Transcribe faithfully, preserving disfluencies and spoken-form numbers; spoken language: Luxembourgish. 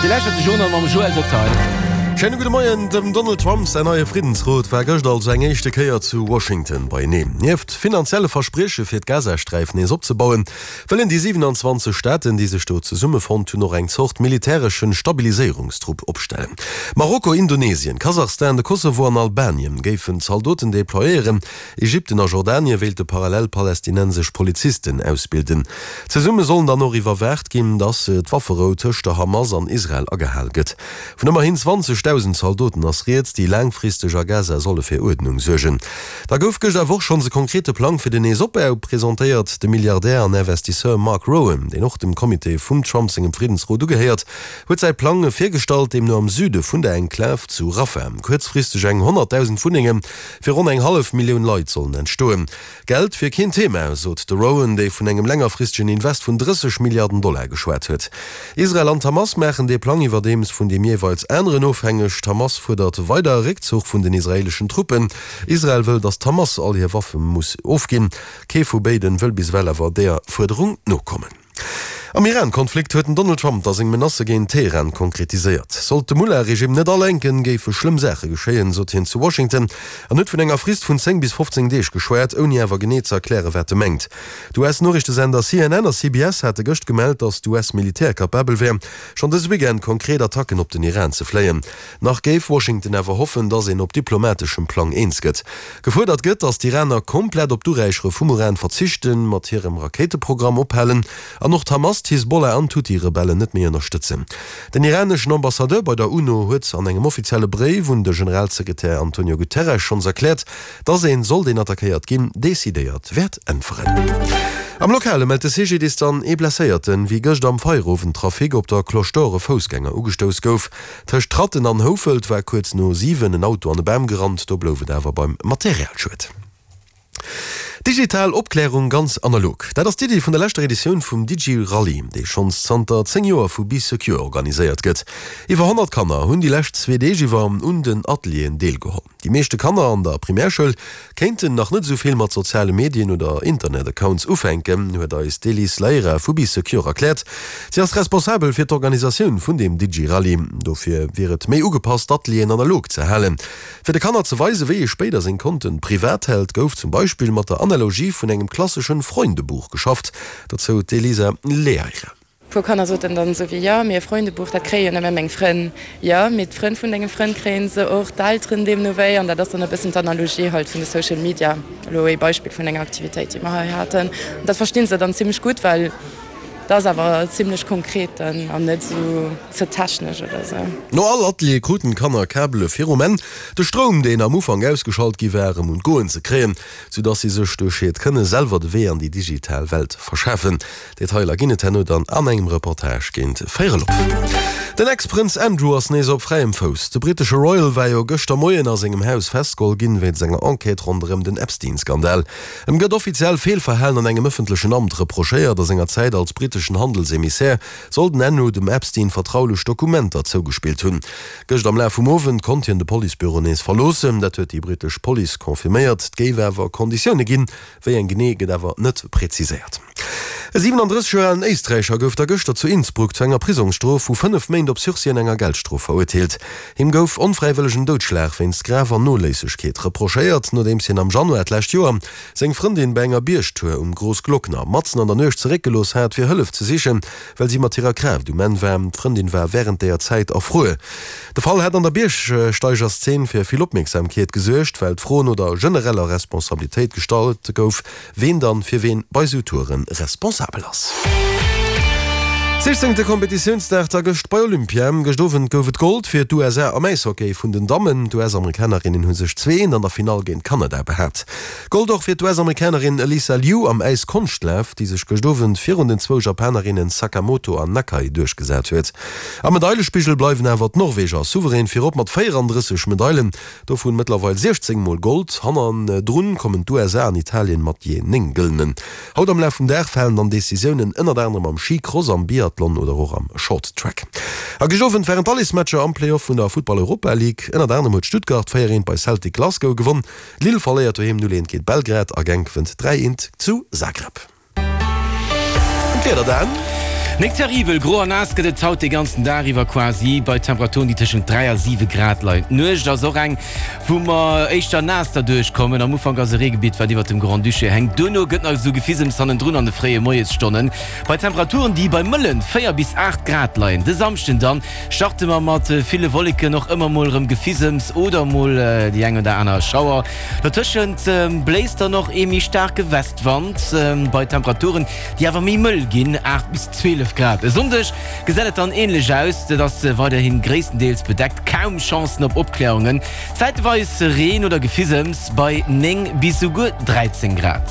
Dir lauschtert de Journal mam Joël Detail. Schéine gudde Moien. Dem Donald Trump säin neie Friddensrot war gëscht also eng éischte Kéier zu Washington beieneen. Nieft finanzielle Versprieche fir d'Gazasträif nees opzebauen, wëllen déi siwenanzwanzeg Staaten, déi sech do zesummefonnt hunn, och eng Zort militäreschen Stabiliséierungstrupp opstellen. Marokko, Indonesien, Kasachstan, de Kosovo an Albanien géifen Zaldoten deployéieren. Ägypten a Jordanien wéilte parallel palästinensesch Polizisten ausbilden. Zesumme sollen dann och iwwerwaacht ginn, datt d'Wafferou tëscht der Hamas an Israel agehal gëtt. Vun ëmmerhin zwanzegdausend Zaldoten ass rieds, déi laangfristeg a Gaza solle fir Uerdnung suergen. Da gouf gëscht awer och schonns e konkrete Plang fir den Neesopbau presentéiert. De Milliardär an Investisseur Mark Rowan, deen och dem Comité vum Trump sengem Friddensrot ugehéiert, huet säi Plang virgestallt, deemno am Süde vun der Enklav zu Rafah kuerzfristeg eng honnertdausend Wunnenge fir ronn eng hallef Millioun Leit sollen entstoen. Geld wier keen Thema, sot de Rowan, dee vun engem längerfristegen Invest vun drësseg Milliarden Dollar geschwat huet. Israel an d'Hamas maachen dee Plang iwwerdeems vun deem jeeweils aneren ofhängeg. D'Hamas fuerdert weider e Réckzuch vun den israeeleschen Truppen. Israel wëll, datt d'Hamas all hir Waffe muss ofginn. Kee vu béiden wëll bis ewell awer deeër Fuerderung nokommen. Am Iran-Konflikt huet den Donald Trump da seng Menacë géint Teheran konkretiséiert. Sollt de Mullah-Regime net alenken, géife schlëmm Saache geschéien, sot hien zu Washington an huet vun enger Frist vun zéng bis fofzéng Deeg geschwat, ouni awer genee ze erklären, wat e mengt. D'U S-Noriichtesender C N N a C B S hate gëscht gemellt, datt d'U S-Militär kapabel wär, schonn dëse Weekend konkret Attacken op den Iran ze fléien. Nach géif Washington awer hoffen, datt een op diplomateschem Plang eens gëtt. Gefuerdert gëtt, datt d'Iraner komplett op d'Uräichere vum Uran verzichten, mat hirem Rakéiteprogramm ophalen an och d'Hamas, d'Hisbollah an d'Huthi-Rebellen net méi ënnerstëtzen. Den iraneschen Ambassadeur bei der UNO huet an engem offizielle Bréif un de Generalsekretär Antonio Guterres schonns erkläert, dass een, sollt een attackéiert ginn, decidéiert wäert äntweren. Am Lokale mellt de C G D I S dann ee Blesséierten, wéi gëscht am Feierowendtrafic op der Cloche d'Or e Foussgänger ugestouss gouf. Tëscht Tratten an Houfelt war kuerz no siwen en Auto an e Bam gerannt, do blouf et awer beim Materialschued. Digital Opklärung ganz analog, dat ass d'Iddi vun der leschter Editioun vum DigiRallye, dee schonns zanter zéng Joer vu Bee Secure organiséiert gëtt. Iwwer honnert Kanner hunn déi lescht zwee Deeg iwwer un den Atelieren deelgeholl. Déi meeschte Kanner an der Primärschoul kéinten nach net esou vill mat soziale Medien oder Internet-Accounts ufänken, huet eis d'Elise Leira vu Bee Secure erkläert. Si ass responsabel fir d'Organisatioun vun deem DigiRallye. Dofir wier et méi ugepasst, d'Atelieren analog ze halen. Fir de Kanner ze weisen, wéi ee spéider seng Konten privat hält, gouf zum Beispill mat der Analogie vun engem klasseschen Freundebuch geschafft, dozou d'Elisa Leaire. Puer Kanner soten dann esou wéi, Jo, mee e Freundebuch, dat kréie jo nëmme meng Frënn. Jo, mee d'Frënn vun denge Frënn kréie se och, d'Elteren deemno wéi. An dat ass dann e bëssen d'Analogie halt vun de Social Media, elo ee Beispill vun enger Aktivitéit, déi mer hei haten. An dat versti se dann zimlech gutt, well dat ass awer zimlech konkret dann an net esou ze technesch oder esou. No all Atelier kruten d'Kanner Kabele fir um Enn de Stroum, deen am Ufank ausgeschalt gi war, erëm un d'Goen ze kréien, soudass si sech duerch hiert Kënne selwer de Wee an déi digital Welt verschafen. Detailer ginn et herno dann an engem Reportage géint véierel op. Den Ex-Prënz Andrew ass nees op fräiem Fouss. De brittesche Royal war jo gëschter Moien a sengem Haus festgeholl ginn, wéinst enger Enquête ronderëm den Epstein-Skandal. Em gëtt offiziell Feelverhalen an engem ëffentlechen Amt reprochéiert. A senger Zäit als britteschen Handelsemissär soll den Andrew dem Epstein vertraulech Dokumenter zougespillt hunn. Gëscht am Laf vum Owend konnt hien de Policebüro nees verloossen. Dat huet déi brittesch Police confirméiert. Et géif awer Konditioune ginn, wéi eng genee gëtt awer net preziséiert. E siwenandrësseg Joer alen Éisträicher gouf da gëschter zu Innsbruck zu enger Prisongsstrof vu fënnef Méint op Sursis an enger Geldstrof verurteelt. Him gouf onfräiwëllegen Doudschlag wéinst graver Noléissegkeet reprochéiert, nodeems hien am Januar d'lescht Joer seng Frëndin bei enger Biergtour um Großglockner matzen an der Nuecht zeréckgelooss hat, fir Hëllef ze sichen, well si mat hirer Kraaft um Enn war. D'Frëndin war wärend deeër Zäit erfruer. De Fall hat an der Biergsteigerszeen fir vill Opmierksamkeet gesuergt, well d'Fro no der genereller Responsabilitéit gestallt gouf, ween dann fir ween bei sou Touren responsabel ass. Sichzéngte Kompetitiounsdag da gëscht bei Olympia. Gëscht Owend gouf et Gold fir d'U S A am Äishockey vun den Dammen. D'U S-Amerikanerinnen hu sech zwee eent an der Finall géint Kanada behaapt. Gold och fir d'U S-Amerikanerin Alysa Liu am Äiskonschtlaf, déi sech gëscht Owend virun den zwou Japanerinnen Sakamoto an Nakai duerchgesat huet. Am Medailespigel bleiwen awer d'Norweger souverän virop mat véierandrësseg Medailen, dovun mëttlerweil siechzéng mol Gold. Hannendrun kommen d'U S A an Italien mat jee néng Gëllenen. Haut am Laf vum Dag falen dann Decisiounen ënnert anerem am Skicross, am Biathlon oder och am Short Track. A gëscht Owend waren d'Allesmatcher am Playoff vun der Futtball Europa League. Ënnert anerem huet Stuttgart véier eent bei Celtic Glasgow gewonn. Lille verléiert doheem null eent géint Belgrad a Genk wënnt dräi eent zu Zagreb. D'Wieder dann. Nik terribel, gro an naass gëtt et haut de ganzen Dag iwwer quasi, bei Temperaturen, déi tëschent dräi a siwe Grad leien. D'Nuecht ass och eng, wou mer éischter naass derduerch kommen. Am Ufank ass e Reegebitt, wat iwwert dem Grand-Duché hänkt. Duerno gëtt nach esou Gefisems hannendrun an de fréie Moiesstonnen, bei Temperaturen, déi bei mëlle véier bis aacht Grad leien. De Samschden dann starte mer mat ville Wolleken, och ëmmer mol erëm Gefisems oder mol déi eng oder aner Schauer. Dotëschent bléist dann och ee méi staarke Westwand, bei Temperaturen, déi awer méi mëll ginn, aacht bis zwielef Grad. E Sonndeg gesäit et dann änlech aus, et ass weiderhi gréisstendeels bedeckt, kaum Chancen op Opklärungen, zäiteweis Reen oder Gefisems bei néng bis souguer dräizéng Grad.